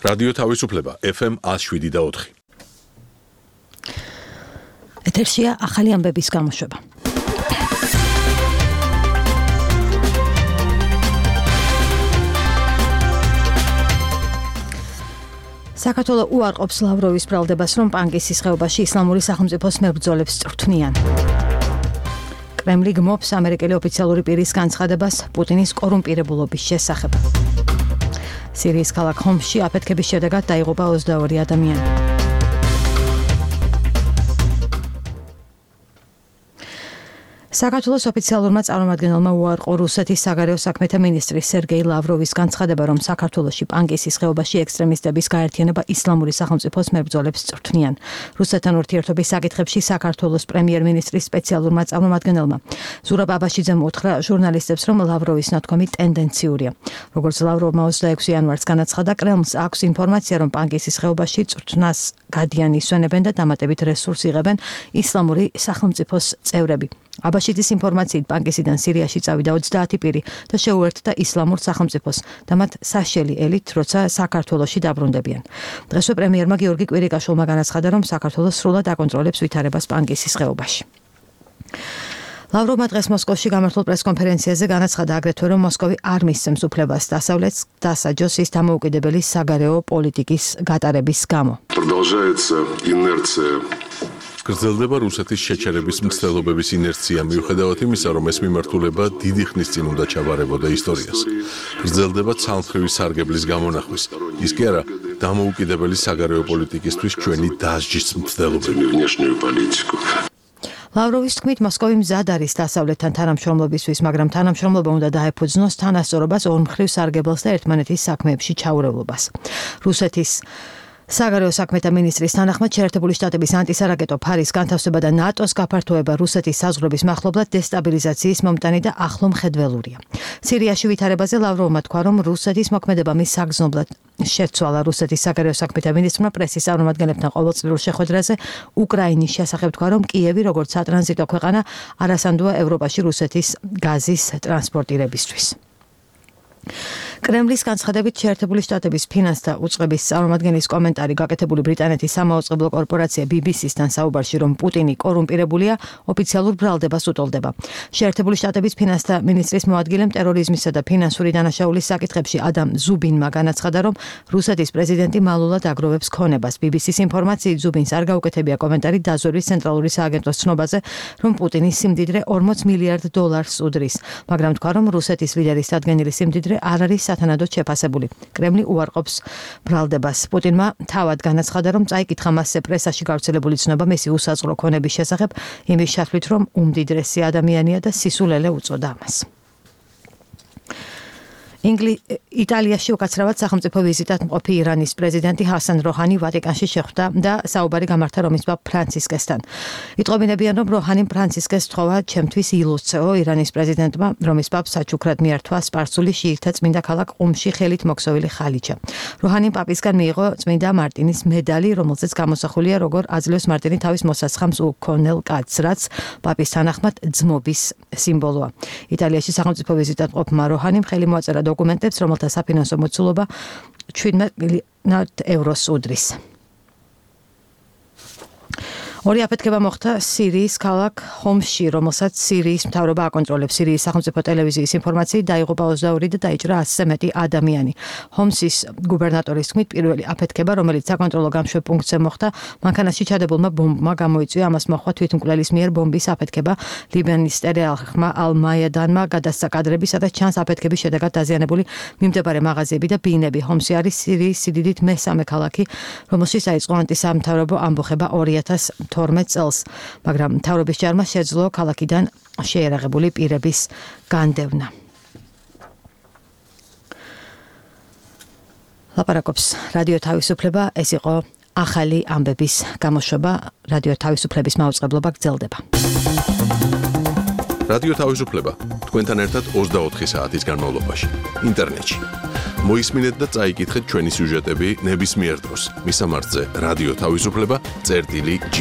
რადიო თავისუფლება FM 107.4. ეთერშია ახალი ამბების გამოშვება. საქართველო უარყოფს ლავროვის ბრალდებას, რომ პანკისის ხეობაში ისლამური სახელმწიფოს მებრძოლებს წვრთნიან. კრემლი გმობს ამერიკელი ოფიციალური პირის განცხადებას პუტინის კორუმპირებულობის შესახებ. სირიის ქალაქ ჰომსში აფეთქების შედეგად დაიღუპა 22 ადამიანი. საქართველოს ოფიციალურმა წარმომადგენელმა უარყო რუსეთის საგარეო საქმეთა მინისტრის სერგეი ლავროვის განცხადება, რომ საქართველოში პანკისის ხეობაში ექსტრემისტების გაერთიანება ისლამური სახელმწიფოს მებრძოლებს წვრთნიან. რუსეთთან ურთიერთობის საკითხებში საქართველოს პრემიერ-მინისტრის სპეციალურმა წარმომადგენელმა ზურაბ აბაშიძემ უთხრა ჟურნალისტებს, რომ ლავროვის ნათქვამი ტენდენციურია. როგორც ლავროვმა 26 იანვარს განაცხადა, კრემლს აქვს ინფორმაცია, რომ პანკისის ხეობაში წვრთნას გადიან ისვენებენ და დამატებით რესურს იღებენ ისლამური სახელმწიფოს წევრები. აბაშიძის ინფორმაციით პანკისიდან სირიაში წავიდა 30 პირი და შეუერთდა ისლამურ სახელმწიფოს და მათ საშელი ელით, როცა საქართველოში დაბრუნდებიან. დღესვე პრემიერმა გიორგი კვირიკაშვილმა განაცხადა, რომ საქართველოს სრულად აკონტროლებს ვითარებას პანკისის ხეობაში. ლავროვმა დღეს მოსკოვში გამართულ პრესკონფერენციაზე განაცხადა აგრეთვე, რომ მოსკოვი არ მისცემს უფლებას დასავლეთს დასაჯოს ის დამოუკიდებელი საგარეო პოლიტიკის გატარების გამო. გრძელდება რუსეთის შეჩერების მცდელობების ინერცია, მიუხედავად იმისა, რომ ეს მიმართულება დიდი ხნის წინ უნდა ჩაბარებოდა ისტორიას. გრძელდება ცალმხრივი სარგებლის გამონახვის, ის კი არა დამოუკიდებელი საგარეო პოლიტიკისთვის ჩვენი დასჯის მცდელობები. ლავროვის თქმით, მოსკოვი მზად არის დასავლეთთან თანამშრომლობისთვის, მაგრამ თანამშრომლობა უნდა დაეფუძნოს თანასწორობას, ორმხრივ სარგებელს და ერთმანეთის საქმეებში ჩაურევლობას. რუსეთის საგარეო საქმეთა მინისტრის თანახმად შეერთებული შტატების ანტისარაკეტო ფარის განთავსება და ნატოს გაფართოება რუსეთის საზღვრების მახლობლად დესტაბილიზაციის მომტანი და ახლო მხედველურია. სირიაში ვითარებაზე ლავროვმა თქვა, რომ რუსეთის მოქმედება მის საგრძნობლად შეცვალა. რუსეთის საგარეო საქმეთა მინისტრმა პრესის წარმომადგენლებთან ყოველწლიურ შეხვედრაზე უკრაინის შესახებ თქვა, რომ კიევი როგორც სატრანზიტო ქვეყანა არასანდოა ევროპაში რუსეთის გაზის ტრანსპორტირებისთვის. კრემლის განცხადებით შეერთებული შტატების ფინანსთა უწყების წარმომადგენლის კომენტარი გაკეთებული ბრიტანეთის სამაუწყებლო კორპორაცია BBC-სთან საუბარში, რომ პუტინი კორუმპირებულია, ოფიციალურ ბრალდებას უტოლდება. შეერთებული შტატების ფინანსთა მინისტრის მოადგილემ ტერორიზმისა და ფინანსური დანაშაულის საკითხებში ადამ ზუბინმა განაცხადა, რომ რუსეთის პრეზიდენტი მალულად აგროვებს ქონებას. BBC-ს ინფორმაციით ზუბინს არ გაუკეთებია კომენტარი დაზვერვის ცენტრალური სააგენტოს ცნობაზე, რომ პუტინის სიმდიდრე 40 მილიარდ დოლარს უდრის, მაგრამ თქვა, რომ რუსეთის ლიდერის დადგენილი სიმდიდრე არ არის სათანადოდ შეფასებული. კრემლი უარყოფს ბრალდებას. პუტინმა თავად განაცხადა, რომ წაიკითხა მასზე პრესაში გავრცელებული ცნობა მისი უსაზღვრო ქონების შესახებ, იმის შთვლით, რომ უმდიდრესი ადამიანია და სისულელე უწოდა ამას. იტალიაში უკაცრავად სახელმწიფო ვიზიტად მყოფი ირანის პრეზიდენტი ჰასან როჰანი ვატიკანში შეხვდა და საუბარი გამართა რომის პაპ ფრანცისკესთან. იტყობინებიან, რომ როჰანიმ ფრანცისკეს თხოვა ჩემთვის ილუსტრეო. ირანის პრეზიდენტმა რომის პაპს საჩუქრად მიართვა სპარსული შიიტთა წმინდა ქალაქ ყუმში ხელით მოქსოვილი ხალიჩა. როჰანიმ პაპისგან მიიღო წმინდა მარტინის მედალი, რომელზეც გამოსახულია, როგორ აძლევს მარტინი თავის მოსაცხამს უქონელ კაცს, რაც პაპის თანახმად ძმობის სიმბოლოა. იტალიაში სახელმწიფო ვიზიტად მყოფმა როჰანიმ ხელი მოაწერა დოკუმენტებს, რომელთა საფინანსო მოცულობა 17 მილიარდ ევროს უდრის. ორი აფეთქება მოხდა სირიის ქალაქ ჰომსში, რომელსაც სირიის მთავრობა აკონტროლებს. სირიის სახელმწიფო ტელევიზიის ინფორმაციით დაიღუპა 22 და დაიჭრა 100-ზე მეტი ადამიანი. ჰომსის გუბერნატორის თქმით, პირველი აფეთქება, რომელიც საკონტროლო გამშვებ პუნქტზე მოხდა, მანქანაში ჩადებულმა ბომბმა გამოიწვია. ამას მოჰყვა თვითმკვლელის მიერ ბომბის აფეთქება. ლიბანის ტელეარხმა ალ-მაიადანმა გადასცა კადრები, სადაც ჩანს აფეთქების შედეგად დაზიანებული მიმდებარე მაღაზიები და ბინები. ჰომსი არის სირიის სიდიდით მესამე ქალაქი, რომელშიც დაიწყო ანტისამთავრობო ამბოხება 2012 წელს, მაგრამ მთავრობის ჯარმა შეძლო ქალაქიდან შეერაღებული პირების განდევნა. ლაპარაკობს რადიო თავისუფლება, ეს იყო ახალი ამბების გამოშვება. რადიო თავისუფლების მაუწყებლობა გრძელდება. რადიო თავისუფლება თქვენთან ერთად 24 საათის განმავლობაში ინტერნეტში. მოისმინეთ და წაიკითხეთ ჩვენი სიუჟეტები ნებისმიერ დროს. მისამართზე რადიო თავისუფლება წერტილი G.